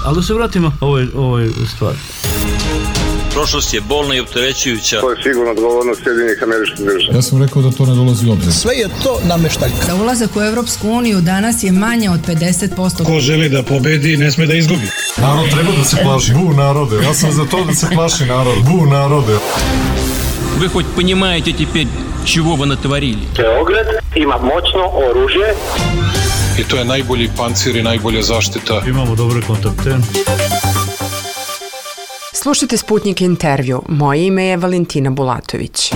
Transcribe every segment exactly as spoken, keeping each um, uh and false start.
Ali da se vratimo ovoj, ovoj stvari. Prošlost je bolna i opterećujuća. To je sigurno odgovornost Sjedinjenih Američkih Država. Ja sam rekao da to ne dolazi u obzir. Sve je to nameštaljka. Za ulazak u Evropsku uniju danas je manje od pedeset posto. Ko želi da pobedi, ne sme da izgubi. Narod treba da se plaši. Bu narode. Ja sam za to da se plaši narod. Bu narode. Вы хоть понимаете теперь, чего вы натворили? Beograd ima moćno oružje. I to je najbolji pancir i najbolja zaštita. Imamo dobre kontakte. Slušajte Sputnik intervju. Moje ime je Valentina Bulatović.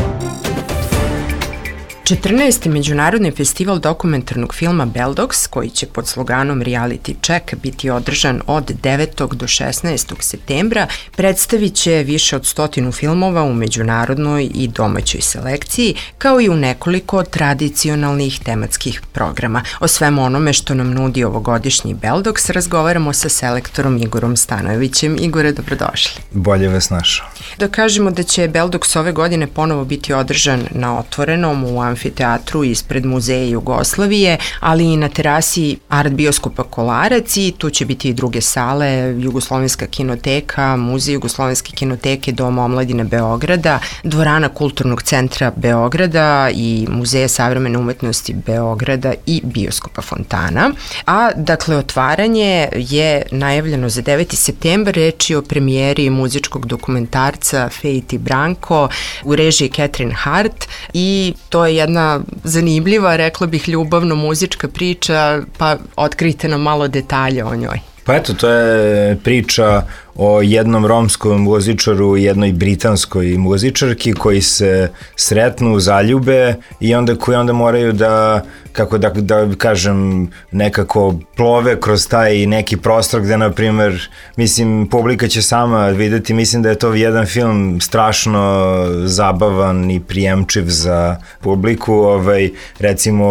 četrnaesti Međunarodni festival dokumentarnog filma Beldox, koji će pod sloganom Reality Check biti održan od devetog do šesnaestog septembra, predstavit će više od stotinu filmova u međunarodnoj i domaćoj selekciji, kao i u nekoliko tradicionalnih tematskih programa. O svemu onome što nam nudi ovogodišnji Beldox razgovaramo sa selektorom Igorom Stanojevićem. Igore, dobrodošli. Bolje vas našao. Da kažemo da će Beldox ove godine ponovo biti održan na otvorenom u amfiteatru ispred Muzeja Jugoslavije, ali i na terasi Art bioskopa Kolarac, i tu će biti i druge sale, Jugoslovenska kinoteka, Muzej Jugoslovenske kinoteke, Dom omladine Beograda, Dvorana Kulturnog centra Beograda i Muzeja savremene umetnosti Beograda i bioskopa Fontana. A dakle, otvaranje je najavljeno za deveti septembar, reč je o premijeri muzičkog dokumentarca Fejt i Branko u režiji Catherine Hart, i to je jedna zanimljiva, rekla bih, ljubavno-muzička priča, pa otkrijte nam malo detalje o njoj. Pa eto, to je priča o jednom romskom muzičaru i jednoj britanskoj muzičarki koji se sretnu, zaljube i onda koji onda moraju da, kako da, da kažem, nekako plove kroz taj neki prostor gde, na primer, mislim, publika će sama videti, mislim da je to jedan film strašno zabavan i prijemčiv za publiku, ovaj, recimo,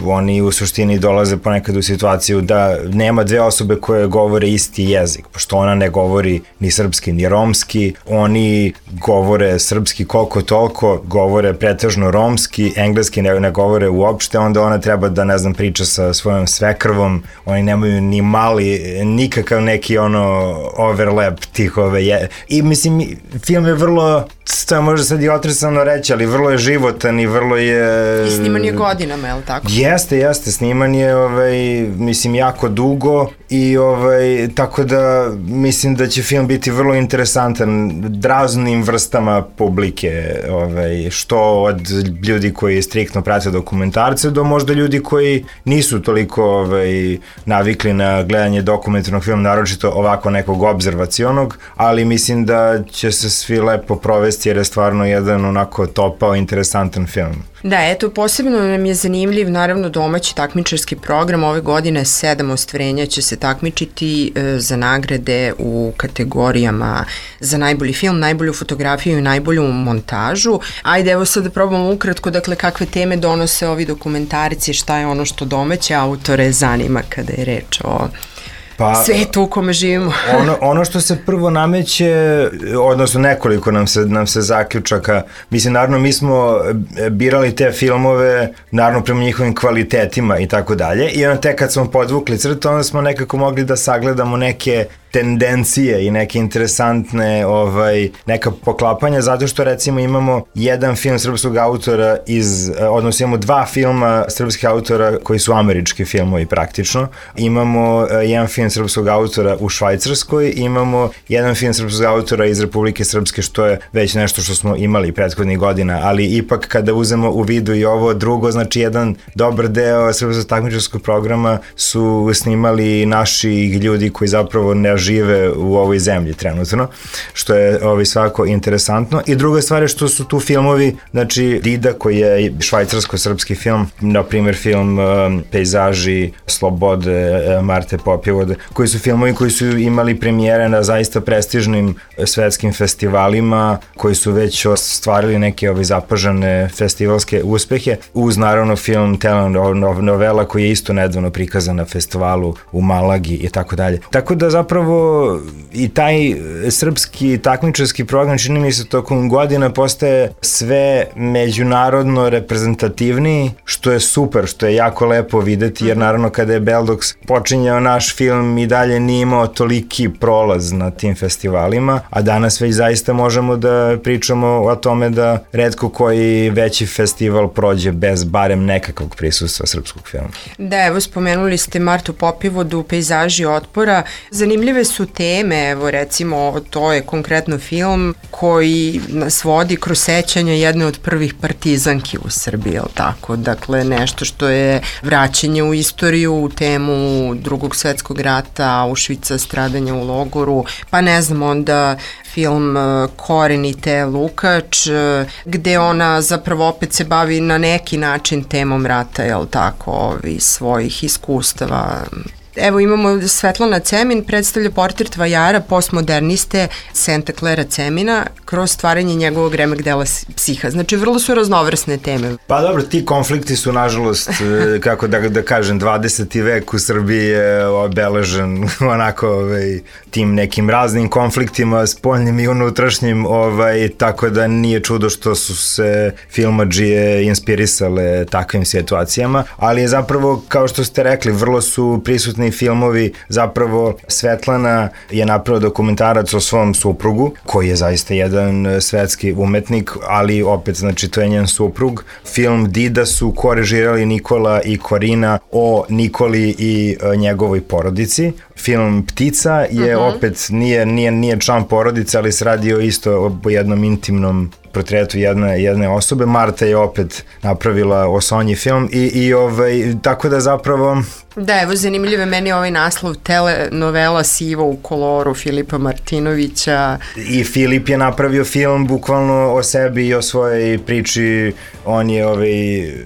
oni u suštini dolaze ponekad u situaciju da nema dve osobe koje govore isti jezik, pošto ona ne govori ni srpski ni romski, oni govore srpski koliko toliko, govore pretežno romski, engleski ne, ne govore uopšte, onda ona treba da, ne znam, priča sa svojom svekrvom, oni nemaju ni mali, nikakav neki ono overlap tih ove je. I mislim, film je vrlo, to je možda sad i otresano reći, ali vrlo je životan i vrlo je... I sniman je godinama, je li tako? Jeste, jeste, sniman je, ovaj, mislim, jako dugo i ovaj, tako da mislim da će film biti vrlo interesantan raznim vrstama publike, ovaj, što od ljudi koji striktno prate dokumentarce do možda ljudi koji nisu toliko ovaj, navikli na gledanje dokumentarnog filma, naročito ovako nekog obzervacionog, ali mislim da će se svi lepo provesti jer je stvarno jedan onako topao, interesantan film. Da, eto, posebno nam je zanimljiv, naravno, domaći takmičarski program. Ove godine sedam ostvarenja će se takmičiti e, za nagrade u kategorijama za najbolji film, najbolju fotografiju i najbolju montažu. Ajde, evo sad da probamo ukratko, dakle, kakve teme donose ovi dokumentarci, šta je ono što domaće autore zanima kada je reč o pa, svetu u kome živimo. ono, ono što se prvo nameće, odnosno nekoliko nam se, nam se zaključaka, mislim, naravno mi smo birali te filmove, naravno prema njihovim kvalitetima i tako dalje, i onda tek kad smo podvukli crtu, onda smo nekako mogli da sagledamo neke tendencije i neke interesantne ovaj, neka poklapanja, zato što recimo imamo jedan film srpskog autora iz, odnosno imamo dva filma srpskih autora koji su američki filmovi praktično, imamo jedan film srpskog autora u Švajcarskoj, imamo jedan film srpskog autora iz Republike Srpske, što je već nešto što smo imali prethodnih godina, ali ipak kada uzemo u vidu i ovo drugo, znači jedan dobar deo srpskog takmičarskog programa su snimali naši ljudi koji zapravo ne žive u ovoj zemlji trenutno, što je ovaj, svako interesantno. I druga stvar je što su tu filmovi, znači Dida koji je švajcarsko-srpski film, na primjer film um, Pejzaži Slobode uh, Marte Popjevode, koji su filmovi koji su imali premijere na zaista prestižnim svetskim festivalima, koji su već ostvarili neke ovaj, zapažene festivalske uspehe, uz naravno film telenovela koji je isto nedavno prikazan na festivalu u Malagi i tako dalje. Tako da zapravo zapravo i taj srpski takmičarski program, čini mi se, tokom godina postaje sve međunarodno reprezentativniji, što je super, što je jako lepo videti, jer naravno kada je Beldox počinjao naš film i dalje nije imao toliki prolaz na tim festivalima, a danas već zaista možemo da pričamo o tome da retko koji veći festival prođe bez barem nekakvog prisustva srpskog filma. Da, evo spomenuli ste Martu Popivodu, Pejzaži otpora. Zanimljive su teme, evo recimo to je konkretno film koji nas vodi kroz sećanja jedne od prvih partizanki u Srbiji, je li tako? Dakle, nešto što je vraćanje u istoriju, u temu Drugog svetskog rata, Auschwitza, stradanja u logoru, pa ne znam, onda film Korenite Lukač, gde ona zapravo opet se bavi na neki način temom rata, je li tako, ovi svojih iskustava. Evo imamo Svetlana Cemin, predstavlja portret vajara, postmoderniste Santa Clara Cemina kroz stvaranje njegovog remek dela Psiha. Znači, vrlo su raznovrsne teme. Pa dobro, ti konflikti su, nažalost, kako da, da kažem, dvadeseti vek u Srbiji je obeležen onako ovaj, tim nekim raznim konfliktima, spoljnim i unutrašnjim, ovaj, tako da nije čudo što su se filmadžije inspirisale takvim situacijama, ali je zapravo, kao što ste rekli, vrlo su prisutni filmovi. Zapravo Svetlana je napravila dokumentarac o svom suprugu, koji je zaista jedan svetski umetnik, ali opet, znači, to je njen suprug. Film Dida su korežirali Nikola i Korina o Nikoli i njegovoj porodici. Film Ptica je uh-huh. opet, nije, nije, nije član porodice, ali se radi o isto o jednom intimnom portretu jedne, jedne osobe. Marta je opet napravila o Sonji film i, i ovaj, tako da zapravo... Da, evo zanimljivo je meni ovaj naslov telenovela Sivo u koloru Filipa Martinovića. I Filip je napravio film bukvalno o sebi i o svojoj priči. On je ovaj,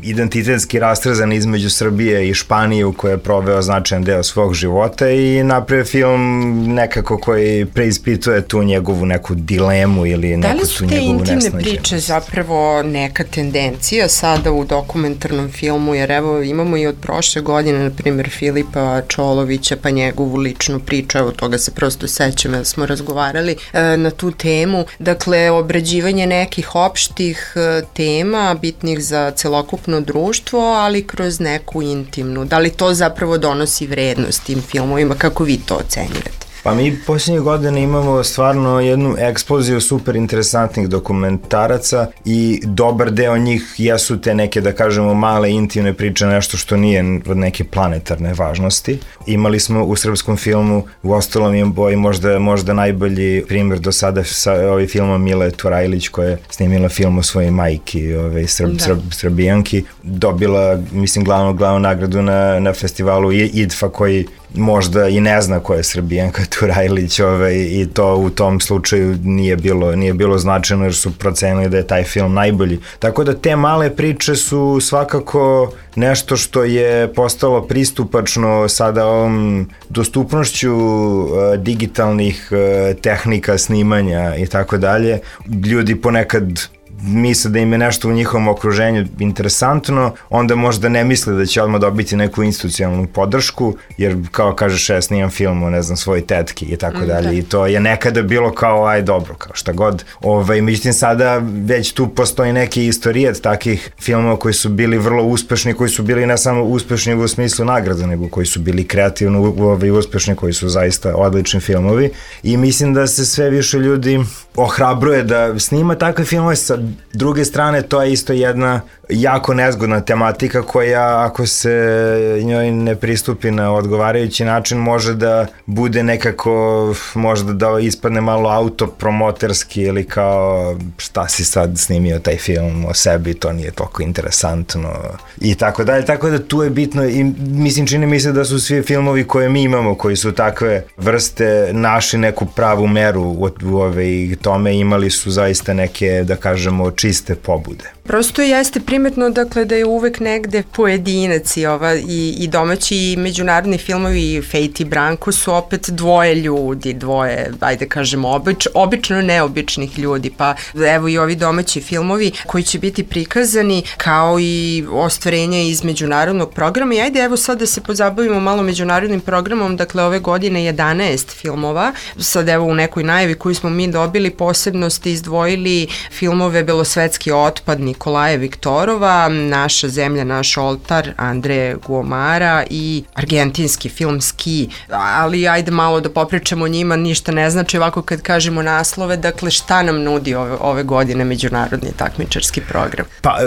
identitetski rastrzan između Srbije i Španije u kojoj je proveo značajan deo svog života i napravio film nekako koji preispituje tu njegovu neku dilemu ili neku tu njegovu nesnađenost. Da li su te intimne priče zapravo neka tendencija sada u dokumentarnom filmu, jer evo imamo i od prošle godine, na primjer, Filipa Čolovića, pa njegovu ličnu priču, evo toga se prosto sećam, jer smo razgovarali e, na tu temu. Dakle, obrađivanje nekih opštih e, tema, bitnih za celokupno društvo, ali kroz neku intimnu. Da li to zapravo donosi vrednost tim filmovima? Kako vi to ocenjujete? Pa mi posljednje godine imamo stvarno jednu eksploziju super interesantnih dokumentaraca i dobar deo njih jesu te neke, da kažemo, male intimne priče, nešto što nije od neke planetarne važnosti. Imali smo u srpskom filmu, u ostalom je boj možda, možda najbolji primjer do sada sa ovim filmom Mile Turajlić, koja je snimila film o svojoj majki, ove, srb, srb, srbijanki, dobila, mislim, glavnu, glavnu nagradu na, na festivalu I D F A, koji možda i ne zna ko je Srbijanka Turajlić, ovaj, i to u tom slučaju nije bilo, nije bilo značajno jer su procenili da je taj film najbolji. Tako da te male priče su svakako nešto što je postalo pristupačno sada ovom dostupnošću uh, digitalnih uh, tehnika snimanja i tako dalje. Ljudi ponekad misle da im je nešto u njihovom okruženju interesantno, onda možda ne misle da će odmah dobiti neku institucionalnu podršku, jer kao kažeš, ja snimam film o, ne znam, svoje tetki i tako dalje, i to je nekada bilo kao, aj dobro, kao šta god. Ovaj, međutim, sada već tu postoji neki istorijet takih filmova koji su bili vrlo uspešni, koji su bili ne samo uspešni u smislu nagrada, nego koji su bili kreativno ovaj, uspešni, koji su zaista odlični filmovi, i mislim da se sve više ljudi ohrabruje da snima takve filmove. Sa druge strane, to je isto jedna jako nezgodna tematika koja, ako se njoj ne pristupi na odgovarajući način, može da bude nekako, možda da ispadne malo autopromoterski ili kao šta si sad snimio taj film o sebi, to nije toliko interesantno i tako dalje. Tako da tu je bitno, i mislim, čini mi se da su svi filmovi koje mi imamo, koji su takve vrste, našli neku pravu meru u, u ove, tome, imali su zaista neke, da kažemo, čiste pobude. Prosto jeste primetno, dakle, da je uvek negde pojedinac i, ova, i, i domaći i međunarodni filmovi, Fejt i Branko su opet dvoje ljudi, dvoje, ajde kažemo, obič, obično neobičnih ljudi, pa evo i ovi domaći filmovi koji će biti prikazani kao i ostvarenja iz međunarodnog programa i ajde evo sad da se pozabavimo malo međunarodnim programom, dakle ove godine jedanaest filmova, sad evo u nekoj najavi koju smo mi dobili posebno ste izdvojili filmove Belosvetski otpad Nikolaja Viktorova, Naša zemlja, naš oltar Andreje Guomara i argentinski film Ski, ali ajde malo da popričamo o njima, ništa ne znači ovako kad kažemo naslove, dakle šta nam nudi ove, ove godine međunarodni takmičarski program? Pa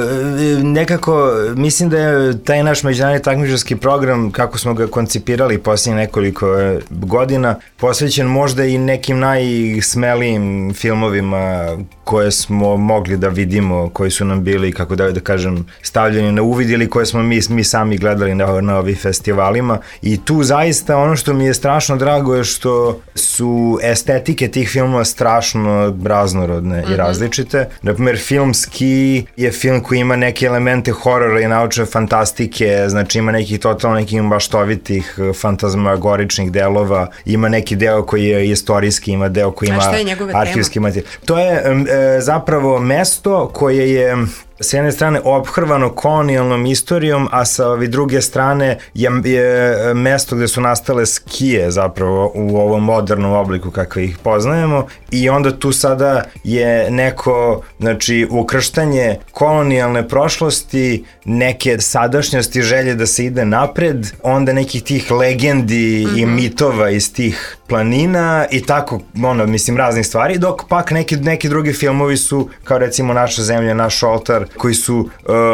nekako mislim da je taj naš međunarodni takmičarski program, kako smo ga koncipirali posljednje nekoliko godina, posvećen možda i nekim najsmelijim filmovima koje smo mogli da vidimo, koji su nam bili, kako da, da kažem, stavljeni na uvid ili koje smo mi, mi sami gledali na, na ovih festivalima. I tu zaista ono što mi je strašno drago je što su estetike tih filmova strašno raznorodne mm-hmm. i različite. Naprimjer, film Ski je film koji ima neke elemente horora i naučne fantastike, znači ima nekih totalno nekih maštovitih fantazmagoričnih delova, ima neki deo koji je istorijski, ima deo koji ima arhivski materijal. To je e, zapravo mesto koje je s jedne strane ophrvano kolonijalnom istorijom, a sa ove druge strane je, je mesto gde su nastale skije zapravo u ovom modernom obliku kakve ih poznajemo i onda tu sada je neko, znači, ukrštanje kolonijalne prošlosti, neke sadašnjosti, želje da se ide napred, onda nekih tih legendi mm-hmm. i mitova iz tih planina i tako, ono, mislim, raznih stvari, dok pak neki, neki drugi filmovi su, kao recimo Naša zemlja, naš oltar, koji su uh,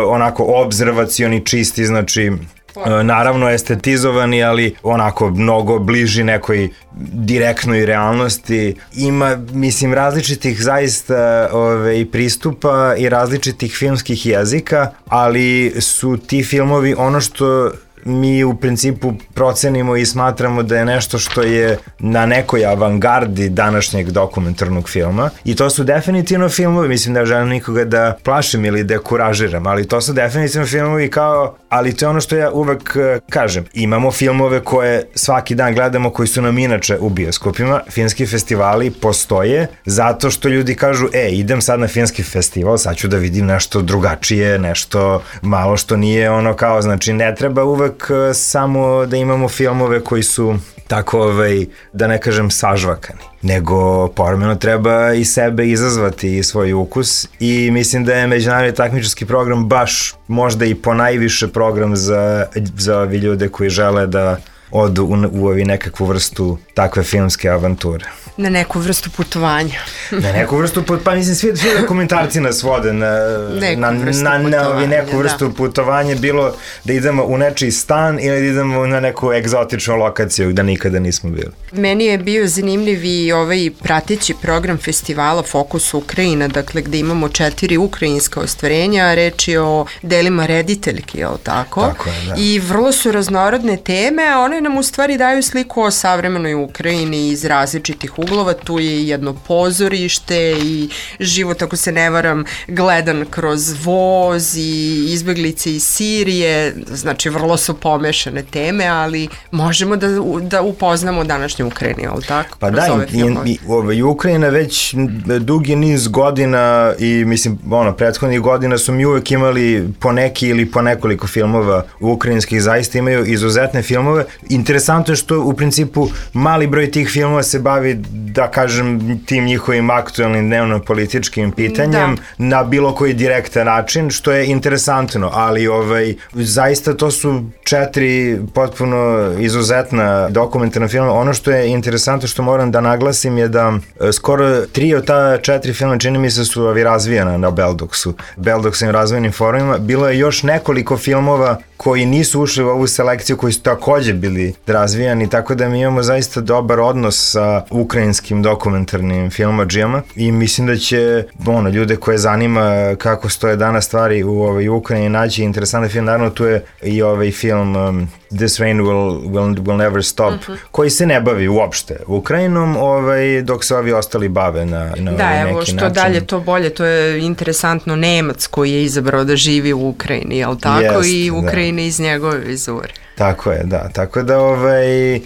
onako obzervacioni, čisti, znači uh, naravno estetizovani, ali onako mnogo bliži nekoj direktnoj realnosti. Ima, mislim, različitih zaista ove, i pristupa i različitih filmskih jezika, ali su ti filmovi ono što mi u principu procenimo i smatramo da je nešto što je na nekoj avangardi današnjeg dokumentarnog filma i to su definitivno filmovi, mislim da ja želim nikoga da plašim ili da kuražiram, ali to su definitivno filmovi kao, ali to je ono što ja uvek kažem, imamo filmove koje svaki dan gledamo koji su nam inače u bioskopima, filmski festivali postoje zato što ljudi kažu, e, idem sad na filmski festival, sad ću da vidim nešto drugačije, nešto malo što nije ono kao, znači ne treba uvek samo da imamo filmove koji su tako, ovaj, da ne kažem, sažvakani, nego povremeno treba i sebe izazvati i svoj ukus i mislim da je međunarodni takmičarski program baš možda i ponajviše program za, za ovi ljude koji žele da odu u, u ovi nekakvu vrstu takve filmske avanture. Na neku vrstu putovanja. Na neku vrstu putovanja, pa mislim svi, svi dokumentarci nas vode na, neku na, vrstu na, na ovi neku da. vrstu putovanja, bilo da idemo u nečiji stan ili da idemo na neku egzotičnu lokaciju gde nikada nismo bili. Meni je bio zanimljiv i ovaj prateći program festivala Fokus Ukrajina, dakle gde imamo četiri ukrajinska ostvarenja, reč je o delima rediteljki, je li tako? Tako je, da. I vrlo su raznorodne teme, a one nam u stvari daju sliku o savremenoj Ukrajini iz različitih uglova, tu je jedno pozorište i život, ako se ne varam, gledan kroz voz i izbeglice iz Sirije, znači vrlo su pomešane teme, ali možemo da, da upoznamo današnju Ukrajinu, ali tako? Pa da, i, i, i Ukrajina već dugi niz godina i mislim, ono, prethodnih godina su mi uvek imali po neki ili po nekoliko filmova ukrajinskih, zaista imaju izuzetne filmove. Interesantno je što u principu mali broj tih filmova se bavi, da kažem, tim njihovim aktualnim dnevno-političkim pitanjem da. Na bilo koji direktan način, što je interesantno, ali ovaj, zaista to su četiri potpuno izuzetna dokumentarna filma. Ono što je interesantno, što moram da naglasim, je da skoro tri od ta četiri filma, čini mi se, su ovi razvijena na Beldoksu, Beldoksovim razvojnim forumima. Bilo je još nekoliko filmova koji nisu ušli u ovu selekciju, koji su takođe bili razvijani, tako da mi imamo zaista dobar odnos sa ukrajinskim dokumentarnim filmadžijama i mislim da će ono, ljude koje zanima kako stoje danas stvari u ovoj Ukrajini naći interesantan film. Naravno tu je i ovaj film um, This Rain Will, will, will Never Stop, uh-huh. koji se ne bavi uopšte Ukrajinom, ovaj, dok se ovi ostali bave na, na da, ovaj neki evo, način. što dalje to bolje, to je interesantno, Nemac koji je izabrao da živi u Ukrajini, jel tako? Jest, i Ukrajina da. Iz njegove vizure. Tako je, da. Tako da ovaj, uh,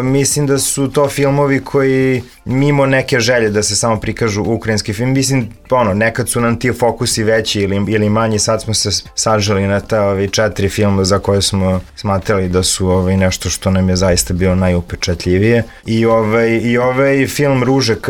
mislim da su to filmovi koji mimo neke želje da se samo prikažu ukrajinski film, mislim, ono, nekad su nam ti fokusi veći ili, ili manji, sad smo se saželi na ta ovi četiri filma za koje smo smatrali da su ovaj, nešto što nam je zaista bilo najupečatljivije. I ovaj, i ovaj film Ružek,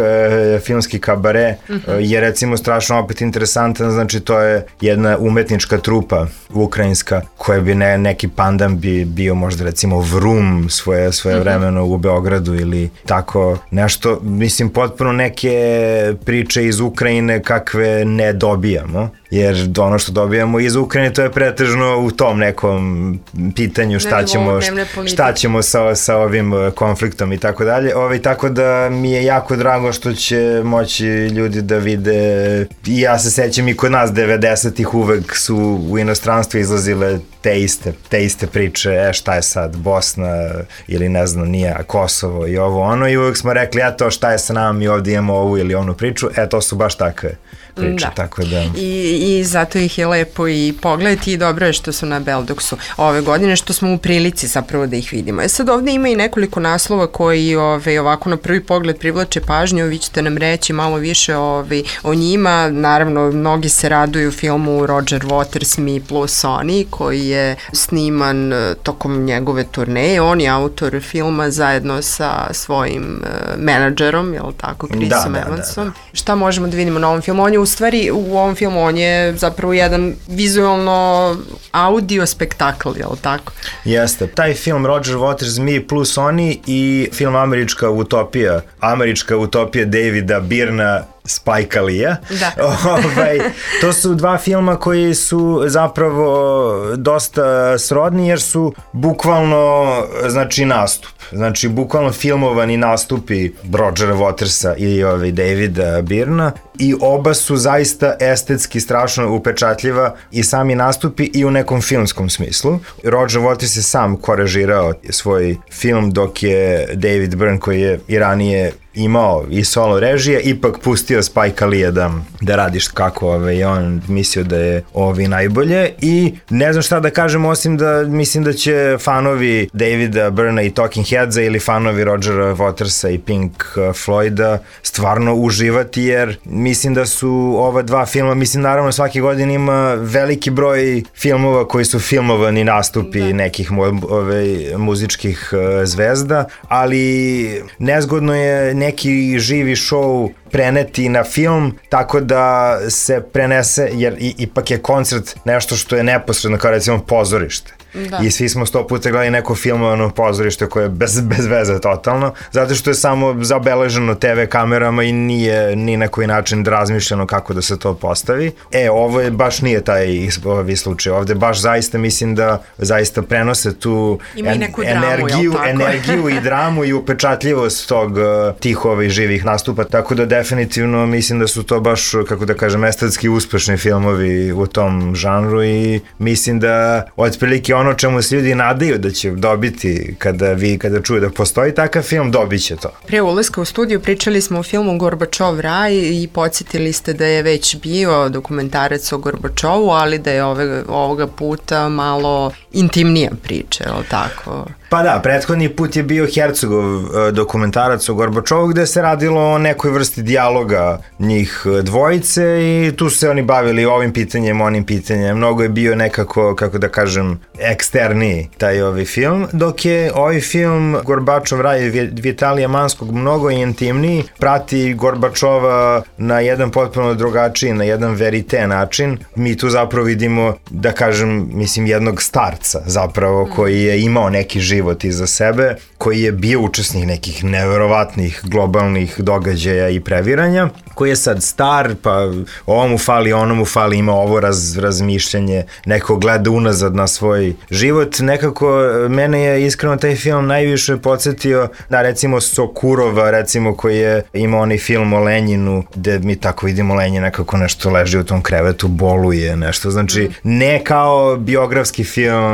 filmski kabare, uh-huh. je recimo strašno opet interesantan, znači to je jedna umetnička trupa ukrajinska koja bi ne, neki pandan bi bio možda recimo Vrum svoje, svoje vremeno u Beogradu ili tako nešto, mislim potpuno neke priče iz Ukrajine kakve ne dobijamo, jer ono što dobijamo iz Ukrajine to je pretežno u tom nekom pitanju šta ćemo, šta ćemo sa, sa ovim konfliktom i tako dalje. Ovaj, tako da mi je jako drago što će moći ljudi da vide, i ja se sećam i kod nas devedesetih uvek su u inostranstvu izlazile te iste, te iste priče, e šta je sad Bosna ili ne znam nije Kosovo i ovo ono, i uvek smo rekli eto šta je sa nama, mi ovdje imamo ovu ili onu priču, e to su baš takve priče, da. Tako da. I, I zato ih je lepo i pogledati i dobro je što su na Beldoksu ove godine, što smo u prilici zapravo da ih vidimo. E sad ovde ima i nekoliko naslova koji ove, ovako na prvi pogled privlače pažnju, vi ćete nam reći malo više ove, o njima, naravno mnogi se raduju filmu Roger Waters Me plus Oni koji je sniman tokom njegove turneje, on je autor filma zajedno sa svojim uh, menadžerom, jel tako, Chrisom da, Evansom. Da, da, da. Šta možemo da vidimo na ovom filmu? On je u stvari, u ovom filmu on je zapravo jedan vizualno audio spektakl, jel tako? Jeste. Taj film Roger Waters Me plus Oni i film Američka utopija, Američka utopija Davida Byrna, Spike Lee-a. Da. ovaj, to su dva filma koji su zapravo dosta srodni jer su bukvalno, znači, nastup. Znači, bukvalno filmovani nastupi Rogera Watersa i ovaj Davida Byrna i oba su zaista estetski strašno upečatljiva i sami nastupi i u nekom filmskom smislu. Roger Waters je sam korežirao svoj film dok je David Byrne, koji je i ranije imao i solo režije, ipak pustio Spike Lee-a da, da radiš kako ove, on mislio da je ovi najbolje i ne znam šta da kažem osim da mislim da će fanovi Davida Byrna i Talking Headsa ili fanovi Rogera Watersa i Pink Floyda stvarno uživati jer mislim da su ova dva filma, mislim naravno svake godine ima veliki broj filmova koji su filmovani nastupi da. nekih ove, muzičkih zvezda, ali nezgodno je neki živi show preneti na film tako da se prenese, jer i, ipak je koncert nešto što je neposredno kao recimo pozorište. Da. I svi smo sto puta gledali neko filmovano pozorište koje je bez, bez veze totalno, zato što je samo zabeleženo te ve kamerama i nije ni na koji način razmišljeno kako da se to postavi. E, ovo je baš nije taj ovaj slučaj. Ovde baš zaista mislim da zaista prenose tu en, dramu, energiju, energiju i dramu i upečatljivost tog tih ovih živih nastupa, tako da definitivno mislim da su to baš, kako da kažem, estetski uspešni filmovi u tom žanru i mislim da otprilike ono čemu se ljudi nadaju da će dobiti kada vi, kada čuju da postoji takav film, dobit će to. Pre ulaska u studiju pričali smo o filmu Gorbačov raj i podsjetili ste da je već bio dokumentarac o Gorbačovu, ali da je ove, ovoga puta malo intimnija priča, je li tako? Pa da, prethodni put je bio Hercogov dokumentarac o Gorbačovu gde se radilo o nekoj vrsti dijaloga njih dvojice i tu se oni bavili ovim pitanjem, onim pitanjem. Mnogo je bio nekako, kako da kažem, eksterniji taj ovaj film, dok je ovaj film Gorbačov raj Vitalija Manskog mnogo intimniji, prati Gorbačova na jedan potpuno drugačiji, na jedan verite način. Mi tu zapravo vidimo, da kažem, mislim, jednog starca zapravo koji je imao neki život iza sebe, koji je bio učesnik nekih neverovatnih globalnih događaja i previranja, koji je sad star, pa ovo mu fali, ono mu fali, ima ovo raz, razmišljanje, neko gleda unazad na svoj život. Nekako mene je iskreno taj film najviše podsjetio na recimo Sokurova, recimo koji je imao onaj film o Lenjinu, gde mi tako vidimo Lenjina kako nešto leži u tom krevetu, boluje nešto. Znači, ne kao biografski film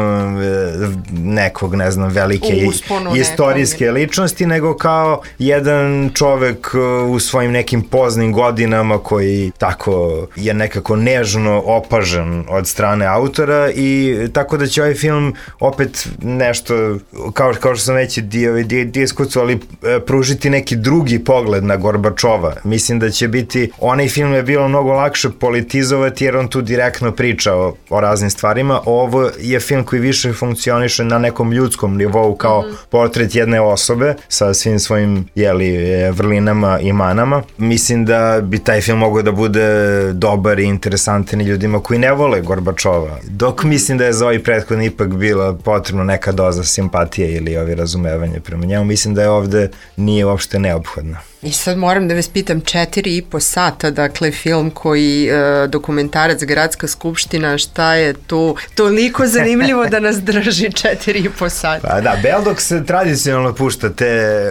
nekog, ne znam, velike Usponu istorijske nekom ličnosti, nego kao jedan čovek u svojim nekim poznim godinama koji tako je nekako nežno opažen od strane autora i tako da će ovaj film opet nešto, kao, kao što sam već dio, dio, diskucu, ali pružiti neki drugi pogled na Gorbačova. Mislim da će biti, onaj film je bilo mnogo lakše politizovati jer on tu direktno priča o, o raznim stvarima. Ovo je film koji više funkcioniše na nekom ljudskom nivou kao mm-hmm. portret jedne osobe sa svim svojim jeli, vrlinama i manama. Mislim da bi taj film mogao da bude dobar i interesantan i ljudima koji ne vole Gorbačova. Dok mislim da je za ovaj prethodni ipak bila potrebno neka doza simpatije ili ovi razumevanje prema njemu. Mislim da je ovde nije uopšte neophodno. I sad moram da vas pitam, četiri i po sata, dakle film koji, e, dokumentarac Gradska skupština, šta je tu toliko zanimljivo da nas drži četiri i po sata? Pa da, Beldok se tradicionalno pušta te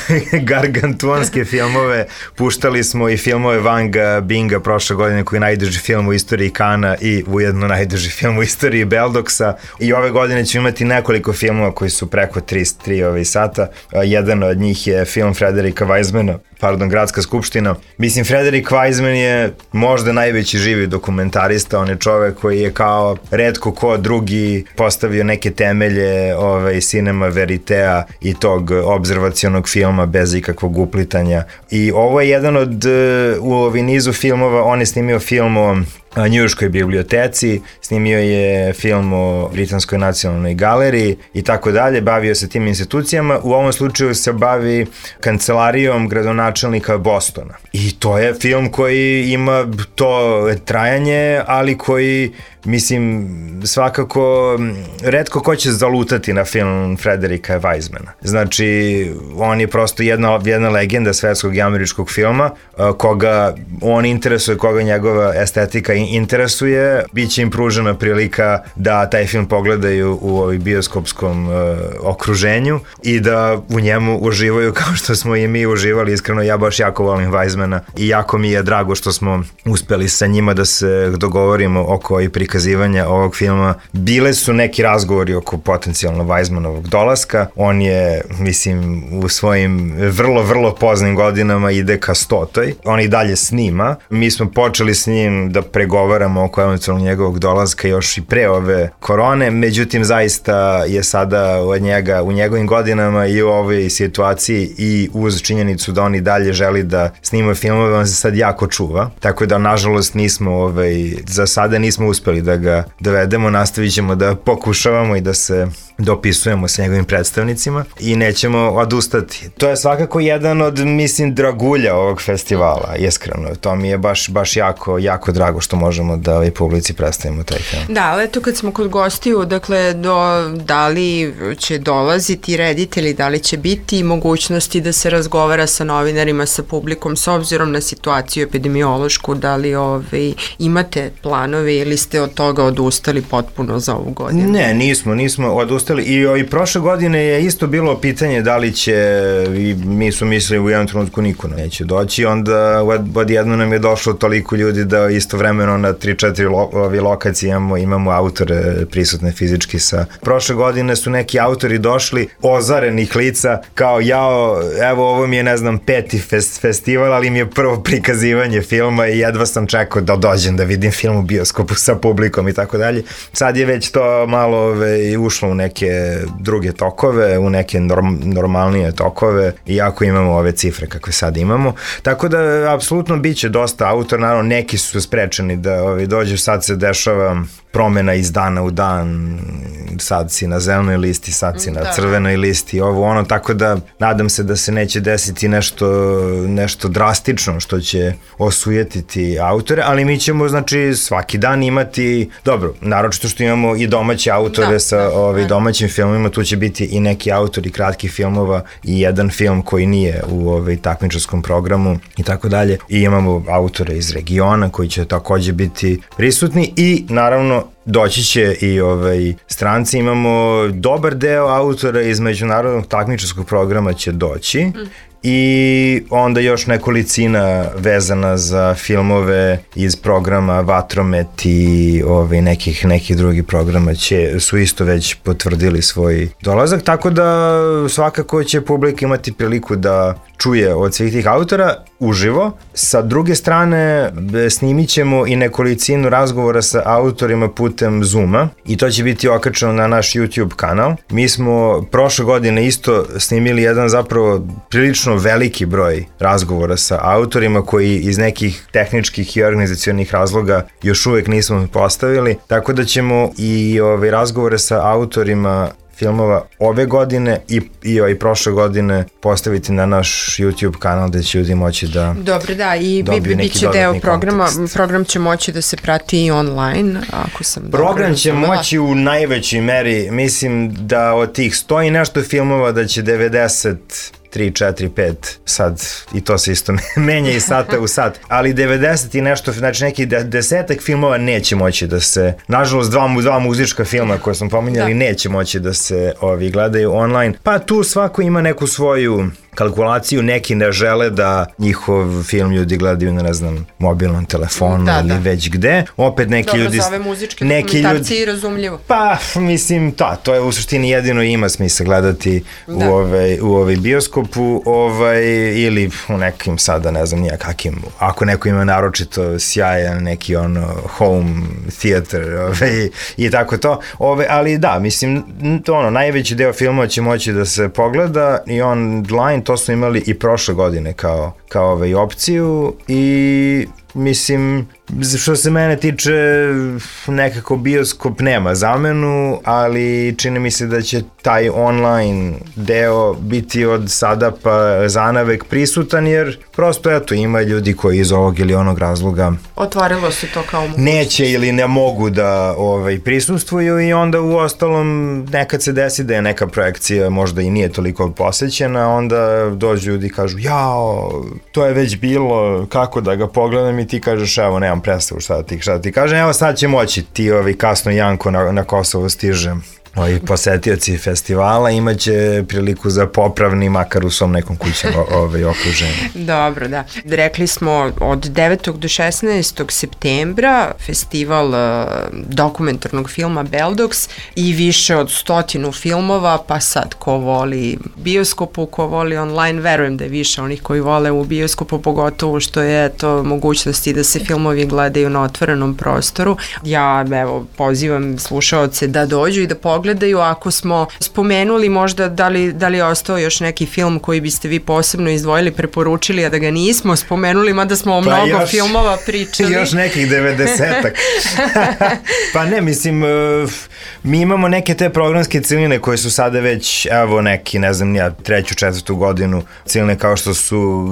uh, gargantuanske filmove, puštali smo i filmove Vanga Binga prošle godine koji je najduži film u istoriji Kana i ujedno najduži film u istoriji Beldoksa i ove godine ćemo imati nekoliko filmova koji su preko tri ovaj sata. Uh, jedan od njih je film Frederika Weizmana, pardon, Gradska skupština. Mislim, Frederik Weizmann je možda najveći živi dokumentarista, on je čovek koji je kao retko ko drugi postavio neke temelje ovaj, cinema veritea i tog obzervacionog filma bez ikakvog uplitanja. I ovo je jedan od, u ovoj nizu filmova, on je snimio film o Njujorškoj biblioteci, snimio je film o Britanskoj nacionalnoj galeriji i tako dalje, bavio se tim institucijama, u ovom slučaju se bavi kancelarijom gradonačelnika Bostona. I to je film koji ima to trajanje, ali koji, mislim, svakako retko ko će zalutati na film Frederika Weizmana. Znači, on je prosto jedna, jedna legenda svetskog i američkog filma, koga on interesuje, koga njegova estetika interesuje, bit će im pružena prilika da taj film pogledaju u ovoj bioskopskom uh, okruženju i da u njemu uživaju kao što smo i mi uživali. Iskreno, ja baš jako volim Weizmana i jako mi je drago što smo uspeli sa njima da se dogovorimo oko i prikazivanja ovog filma. Bile su neki razgovori oko potencijalno Weizmanovog dolaska. On je, mislim, u svojim vrlo, vrlo poznim godinama ide ka stotoj. On i dalje snima. Mi smo počeli s njim da pregovaramo oko eventualno njegovog dolaska još i pre ove korone, međutim zaista je sada od njega u njegovim godinama i u ovoj situaciji i uz činjenicu da on i dalje želi da snima filmove, on se sad jako čuva, tako da nažalost nismo ovaj, za sada nismo uspeli da ga dovedemo, nastavit ćemo da pokušavamo i da se dopisujemo sa njegovim predstavnicima i nećemo odustati. To je svakako jedan od, mislim, dragulja ovog festivala, iskreno. To mi je baš, baš jako, jako drago što možemo da ovoj publici predstavimo taj film. Da, ali eto kad smo kod gostiju, dakle, do, da li će dolaziti reditelji, da li će biti mogućnosti da se razgovara sa novinarima, sa publikom, s obzirom na situaciju epidemiološku, da li ovaj, imate planove ili ste od toga odustali potpuno za ovu godinu? Ne, nismo, nismo odustali. I, i prošle godine je isto bilo pitanje da li će, i mi su mislili u jednom trenutku niko neće doći, onda od, odjedno nam je došlo toliko ljudi da istovremeno na tri četiri lo, lokacije imamo, imamo autore prisutne fizički sa. Prošle godine su neki autori došli ozarenih lica kao jao, evo ovo mi je ne znam peti fest, festival, ali mi je prvo prikazivanje filma i jedva sam čekao da dođem da vidim film u bioskopu sa publikom i tako dalje. Sad je već to malo ove, ušlo u neke druge tokove, u neke norm, normalnije tokove, iako imamo ove cifre kakve sad imamo. Tako da, apsolutno bit će dosta autora, naravno neki su sprečeni da ovi, dođu, sad se dešava promena iz dana u dan, sad si na zelenoj listi, sad si na da. crvenoj listi, ovo ono, tako da nadam se da se neće desiti nešto, nešto drastično što će osujetiti autore, ali mi ćemo, znači, svaki dan imati, dobro, naročito što imamo i domaće autore da, sa da, ovi, domaćim filmima, tu će biti i neki autori kratkih filmova i jedan film koji nije u ovaj, takmičarskom programu i tako dalje, i imamo autore iz regiona koji će takođe biti prisutni i naravno doći će i ovaj, stranci, imamo dobar deo autora iz međunarodnog takmičarskog programa će doći, mm. i onda još nekolicina vezana za filmove iz programa Vatromet i ovaj, nekih, nekih drugih programa će, su isto već potvrdili svoj dolazak, tako da svakako će publika imati priliku da čuje od svih tih autora uživo. Sa druge strane, snimit ćemo i nekolicinu razgovora sa autorima putem Zooma i to će biti okačeno na naš YouTube kanal. Mi smo prošle godine isto snimili jedan zapravo prilično veliki broj razgovora sa autorima koji iz nekih tehničkih i organizacionih razloga još uvek nismo postavili, tako da ćemo i ove razgovore sa autorima filmova ove godine i, i, i prošle godine postaviti na naš YouTube kanal gde će ljudi moći da Dobro, da, i bi, bit će deo programa, kontekst. Program će moći da se prati i online, ako sam dobro Program će razumela. Moći u najvećoj meri, mislim da od tih sto i nešto filmova da će devedeset tri, četiri, pet, sad i to se isto menja i sata u sat, ali devedeset i nešto, znači neki desetak filmova neće moći da se, nažalost dva, dva muzička filma koje smo pominjali da. Neće moći da se ovi gledaju online, pa tu svako ima neku svoju kalkulaciju, neki ne žele da njihov film ljudi gledaju na, ne znam, mobilnom telefonu da, ili da. Već gde. Opet neki Dobro, ljudi... Dobro, za ove muzičke dokumentarci ljudi, razumljivo. Pa, mislim, ta, to je u suštini jedino ima smisla gledati da. u, ovaj, u ovaj bioskopu ovaj, ili u nekim sada, ne znam, nijakakim, ako neko ima naročito sjajan neki ono home theater ovaj, i tako to. Ovaj, ali da, mislim, to ono, najveći deo filmova će moći da se pogleda i online, to smo imali i prošle godine kao, kao ovaj opciju i mislim, što se mene tiče, nekako bioskop nema zamenu, ali čini mi se da će taj online deo biti od sada pa zanavek prisutan, jer prosto eto ima ljudi koji iz ovog ili onog razloga otvorilo se to kao mogućnost. Neće ili ne mogu da ovaj, prisustvuju i onda u ostalom nekad se desi da je neka projekcija možda i nije toliko posećena, onda dođu ljudi i kažu jao, to je već bilo, kako da ga pogledam i ti kažeš evo nemam predstavu šta da ti, šta da ti kažem, evo sad će moći ti ovi kasno Janko na, na Kosovo stiže. Ovi posetioci festivala imaće priliku za popravni makar u svom nekom kućnom ovaj, okruženju. Dobro, da. Rekli smo od devetog do šesnaestog septembra festival uh, dokumentarnog filma Beldox i više od stotinu filmova, pa sad ko voli bioskopu, ko voli online, verujem da je više onih koji vole u bioskopu, pogotovo što je to mogućnosti da se filmovi gledaju na otvorenom prostoru. Ja evo pozivam slušaoce da dođu i da pogledaju pogledaju, ako smo spomenuli možda da li, da li je ostao još neki film koji biste vi posebno izdvojili, preporučili, a da ga nismo spomenuli, mada smo o pa mnogo još, filmova pričali. Još nekih devedesetak. Pa ne, mislim, mi imamo neke te programske ciljine koje su sada već, evo neki, ne znam, ja treću, četvrtu godinu, ciljine kao što su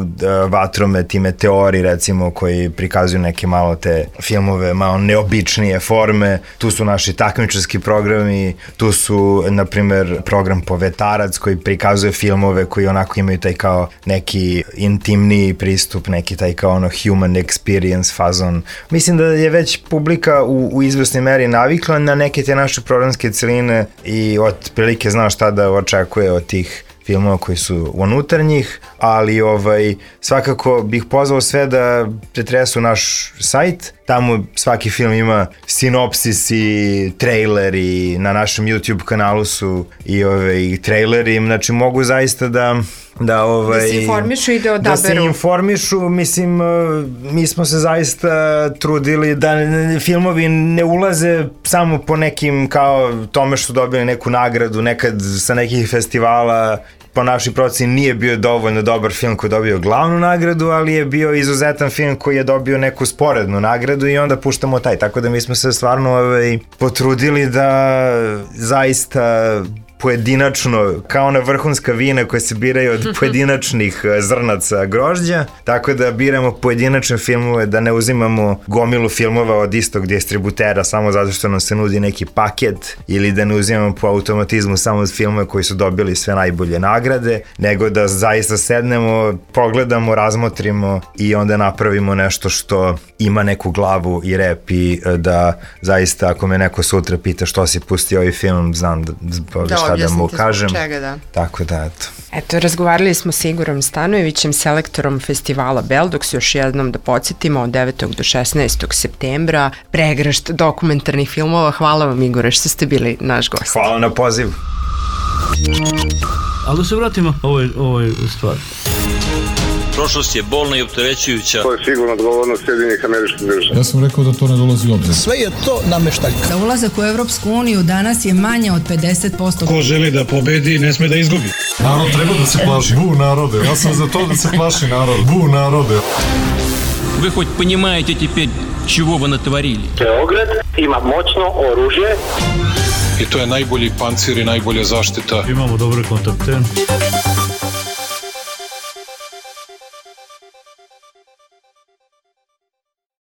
Vatromet i Meteori, recimo, koji prikazuju neke malo te filmove, malo neobičnije forme, tu su naši takmičarski programi, tu su, na primer, program Povetarac koji prikazuje filmove koji onako imaju taj kao neki intimniji pristup, neki taj kao ono human experience fazon. Mislim da je već publika u, u izvesnoj meri navikla na neke te naše programske celine i otprilike zna šta da očekuje od tih filmova koji su unutarnjih, ali ovaj, svakako bih pozvao sve da pretresu naš sajt. Tamo svaki film ima sinopsis i traileri, na našem YouTube kanalu su i ovaj, traileri, znači mogu zaista da da, ovaj, da se informišu i da odaberu. Da se informišu, mislim, mi smo se zaista trudili da filmovi ne ulaze samo po nekim kao tome što dobili neku nagradu, nekad sa nekih festivala, po našoj proceni nije bio dovoljno dobar film koji je dobio glavnu nagradu, ali je bio izuzetan film koji je dobio neku sporednu nagradu i onda puštamo taj, tako da mi smo se stvarno ovaj, potrudili da zaista pojedinačno, kao ona vrhunska vina koje se biraju od pojedinačnih zrnaca grožđa, tako da biramo pojedinačne filmove, da ne uzimamo gomilu filmova od istog distributera samo zato što nam se nudi neki paket, ili da ne uzimamo po automatizmu samo filmove koji su dobili sve najbolje nagrade, nego da zaista sednemo, pogledamo, razmotrimo i onda napravimo nešto što ima neku glavu i rep i da zaista ako me neko sutra pita što si pustio ovaj film, znam da, da šta da mu kažem. Čega, da. Tako da, eto. Eto, razgovarali smo s Igorom Stanojevićem, selektorom festivala Beldox, još jednom da podsjetimo od devetog do šesnaestog septembra, pregršt dokumentarnih filmova. Hvala vam, Igore, što ste bili naš gost. Hvala na poziv. Ali da se vratimo ovoj, ovoj stvari. Prošlost je bolna i opterećujuća. To je sigurno odgovornost Sjedinjenih Američkih Država. Ja sam rekao da to ne dolazi u obzir. Sve je to nameštaljka. Za ulazak u Evropsku uniju danas je manje od pedeset posto. Ko želi da pobedi, ne sme da izgubi. Narod treba da se plaši. Bu narode. Ja sam za to da se plaši narod. Bu narode. Вы хоть понимаете теперь, чего вы натворили? Beograd ima moćno oružje. I to je najbolji pancir i najbolja zaštita. Imamo dobre kontakte.